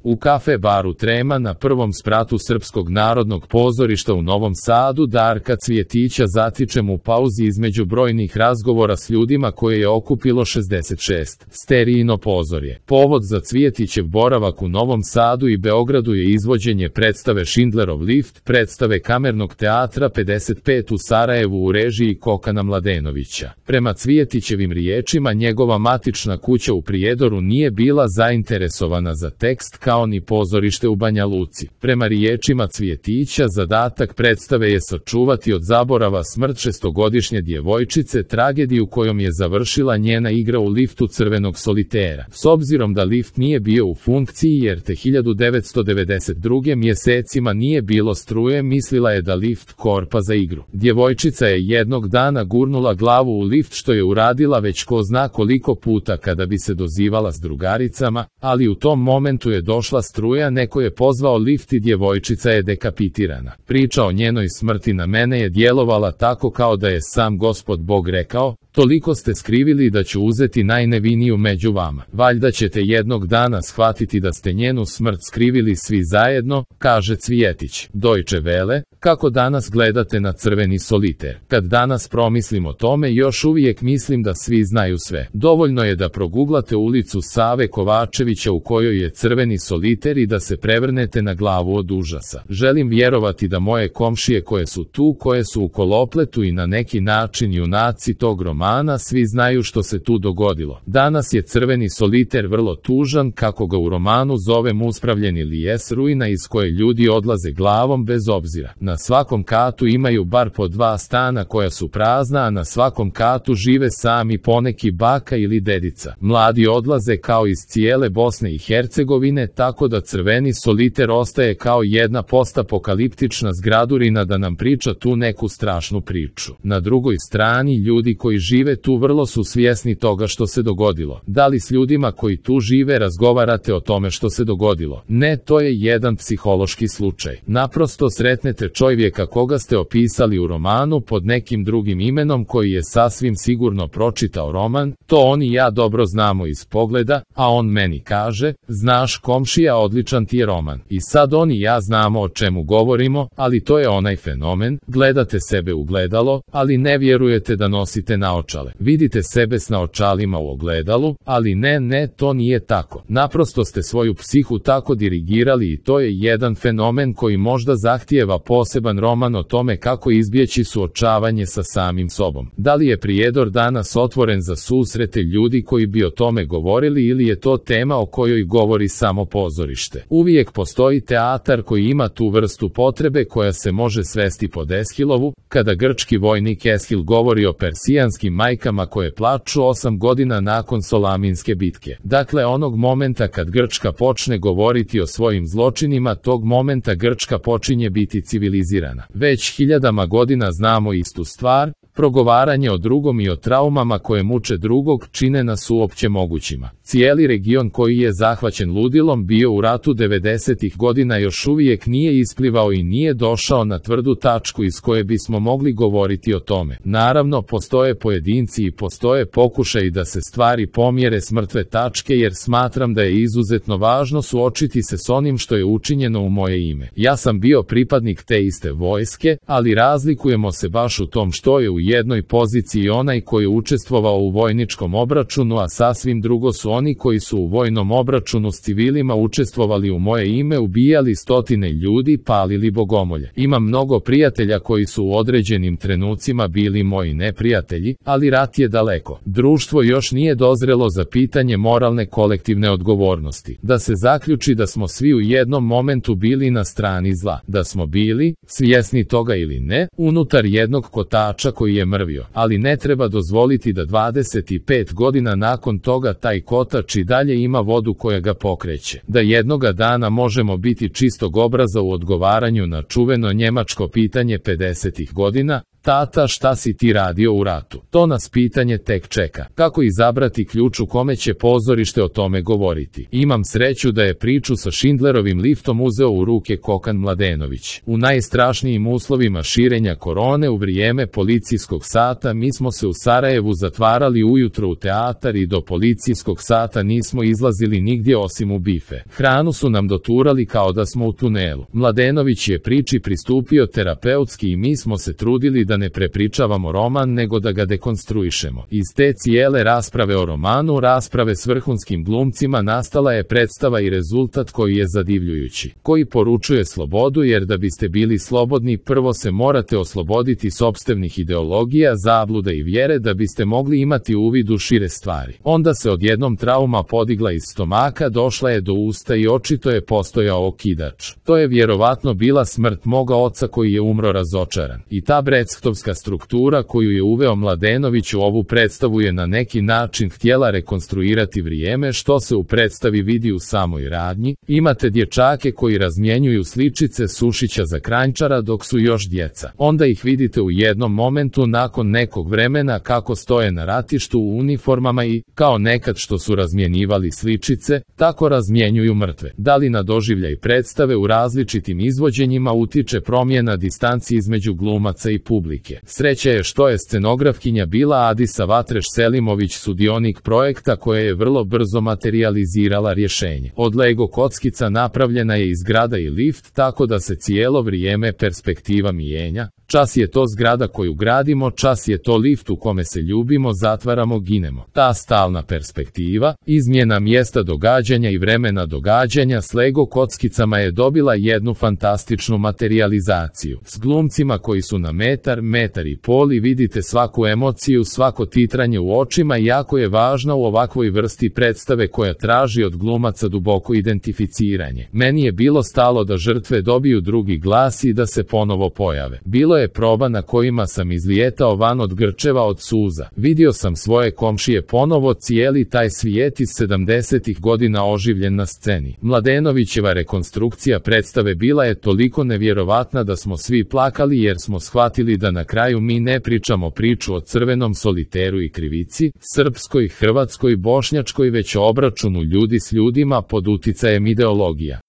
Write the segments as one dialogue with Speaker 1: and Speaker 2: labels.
Speaker 1: U kafe baru Trema na prvom spratu Srpskog narodnog pozorišta u Novom Sadu Darka Cvjetića zatičem u pauzi između brojnih razgovora s ljudima koje je okupilo 66. Sterijino pozorje. Povod za Cvjetićev boravak u Novom Sadu i Beogradu je izvođenje predstave Schindlerov lift, predstave Kamernog teatra 55 u Sarajevu u režiji Kokana Mladenovića. Prema Cvjetićevim riječima, njegova matična kuća u Prijedoru nije bila zainteresovana za tekst kao ni pozorište u Banja Luci. Prema riječima Cvjetića, zadatak predstave je sačuvati od zaborava smrt šestogodišnje djevojčice, tragediju kojom je završila njena igra u liftu Crvenog solitera. S obzirom da lift nije bio u funkciji jer te 1992. mjesecima nije bilo struje, mislila je da lift korpa za igru. Djevojčica je jednog dana gurnula glavu u lift, što je uradila već ko zna koliko puta kada bi se dozivala s drugaricama, ali u tom momentu je došla struja, neko je pozvao lift i djevojčica je dekapitirana. Priča o njenoj smrti na mene je djelovala tako kao da je sam Gospod Bog rekao: toliko ste skrivili da ću uzeti najneviniju među vama. Valjda ćete jednog dana shvatiti da ste njenu smrt skrivili svi zajedno, kaže Cvjetić. Deutsche Welle, kako danas gledate na Crveni soliter? Kad danas promislim o tome, još uvijek mislim da svi znaju sve. Dovoljno je da proguglate ulicu Save Kovačevića u kojoj je Crveni soliter i da se prevrnete na glavu od užasa. Želim vjerovati da moje komšije koje su tu, koje su u kolopletu i na neki način junaci tog romana, svi znaju što se tu dogodilo. Danas je Crveni soliter vrlo tužan, kako ga u romanu zovem uspravljeni lijes, ruina iz koje ljudi odlaze glavom bez obzira. Na svakom katu imaju bar po 2 stana koja su prazna, a na svakom katu žive sami poneki baka ili dedica. Mladi odlaze kao iz cijele Bosne i Hercegovine, tako da Crveni soliter ostaje kao jedna postapokaliptična zgradurina da nam priča tu neku strašnu priču. Na drugoj strani, ljudi koji žive tu vrlo su svjesni toga što se dogodilo. Da li s ljudima koji tu žive razgovarate o tome što se dogodilo? Ne, to je jedan psihološki slučaj. Naprosto sretnete čovjeka koga ste opisali u romanu pod nekim drugim imenom, koji je sasvim sigurno pročitao roman, to on i ja dobro znamo iz pogleda, a on meni kaže: znaš komšija, odličan ti je roman. I sad on i ja znamo o čemu govorimo, ali to je onaj fenomen, gledate sebe u gledalo, ali ne vjerujete da nosite naočale. Vidite sebe s naočalima u ogledalu, ali ne, to nije tako. Naprosto ste svoju psihu tako dirigirali i to je jedan fenomen koji možda zahtijeva poseban roman o tome kako izbjeći suočavanje sa samim sobom. Da li je Prijedor danas otvoren za susrete ljudi koji bi o tome govorili ili je to tema o kojoj govori samo pozorište? Uvijek postoji teatar koji ima tu vrstu potrebe koja se može svesti pod Eshilovu, kada grčki vojnik Eshil govori o persijanskim majkama koje plaču 8 godina nakon Solaminske bitke. Dakle, onog momenta kad Grčka počne govoriti o svojim zločinima, tog momenta Grčka počinje biti civilizirana. Već hiljadama godina znamo istu stvar, progovaranje o drugom i o traumama koje muče drugog čine nas uopće mogućima. Cijeli region koji je zahvaćen ludilom bio u ratu 90-ih godina još uvijek nije isplivao i nije došao na tvrdu tačku iz koje bismo mogli govoriti o tome. Naravno, postoje pojedinci i postoje pokušaji da se stvari pomjere s mrtve tačke, jer smatram da je izuzetno važno suočiti se s onim što je učinjeno u moje ime. Ja sam bio pripadnik te iste vojske, ali razlikujemo se baš u tom što je u jednoj poziciji onaj koji je učestvovao u vojničkom obračunu, a sasvim drugo su oni koji su u vojnom obračunu s civilima učestvovali u moje ime, ubijali stotine ljudi, palili bogomolje. Imam mnogo prijatelja koji su u određenim trenucima bili moji neprijatelji, ali rat je daleko. Društvo još nije dozrelo za pitanje moralne kolektivne odgovornosti. Da se zaključi da smo svi u jednom momentu bili na strani zla. Da smo bili, svjesni toga ili ne, unutar jednog kotača koji je mrvio. Ali ne treba dozvoliti da 25 godina nakon toga taj kotač i dalje ima vodu koja ga pokreće. Da jednoga dana možemo biti čistog obraza u odgovaranju na čuveno njemačko pitanje 50-ih godina, Tata, šta si ti radio u ratu? To nas pitanje tek čeka. Kako izabrati ključ u kome će pozorište o tome govoriti? Imam sreću da je priču sa Schindlerovim liftom uzeo u ruke Kokan Mladenović. U najstrašnijim uslovima širenja korone u vrijeme policijskog sata mi smo se u Sarajevu zatvarali ujutro u teatar i do policijskog sata nismo izlazili nigdje osim u bife. Hranu su nam doturali kao da smo u tunelu. Mladenović je priči pristupio terapeutski i mi smo se trudili da ne prepričavamo roman nego da ga dekonstruišemo. Iz te cijele rasprave o romanu, rasprave s vrhunskim glumcima, nastala je predstava i rezultat koji je zadivljujući, koji poručuje slobodu, jer da biste bili slobodni prvo se morate osloboditi sopstvenih ideologija, zabluda i vjere da biste mogli imati uvid u šire stvari. Onda se odjednom trauma podigla iz stomaka, došla je do usta i očito je postojao okidač. To je vjerovatno bila smrt moga oca koji je umro razočaran. I ta brectovska struktura koju je uveo Mladenović u ovu predstavu je na neki način htjela rekonstruirati vrijeme, što se u predstavi vidi u samoj radnji. Imate dječake koji razmjenjuju sličice Sušića za Kranjčara dok su još djeca. Onda ih vidite u jednom momentu nakon nekog vremena kako stoje na ratištu u uniformama i, kao nekad što su razmjenjivali sličice, tako razmjenjuju mrtve. Da li na doživljaj predstave u različitim izvođenjima utiče promjena distanci između glumaca i publike? Sreća je što je scenografkinja bila Adisa Vatreš Selimović, sudionik projekta, koja je vrlo brzo materijalizirala rješenje. Od Lego kockica napravljena je i zgrada i lift, tako da se cijelo vrijeme perspektiva mijenja. Čas je to zgrada koju gradimo, čas je to lift u kome se ljubimo, zatvaramo, ginemo. Ta stalna perspektiva, izmjena mjesta događanja i vremena događanja s Lego kockicama je dobila jednu fantastičnu materijalizaciju. S glumcima koji su na metar, metar i pol i vidite svaku emociju, svako titranje u očima, jako je važno u ovakvoj vrsti predstave koja traži od glumaca duboko identificiranje. Meni je bilo stalo da žrtve dobiju drugi glas i da se ponovo pojave. Bilo je proba na kojima sam izlijetao van od grčeva od suza. Vidio sam svoje komšije ponovo, cijeli taj svijet iz 70-ih godina oživljen na sceni. Mladenovićeva rekonstrukcija predstave bila je toliko nevjerovatna da smo svi plakali jer smo shvatili da na kraju mi ne pričamo priču o crvenom soliteru i krivici, srpskoj, hrvatskoj, bošnjačkoj, već o obračunu ljudi s ljudima pod uticajem ideologija.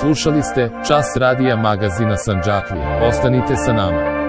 Speaker 1: Slušali ste Čas radija magazina Sandžaklija. Ostanite sa nama.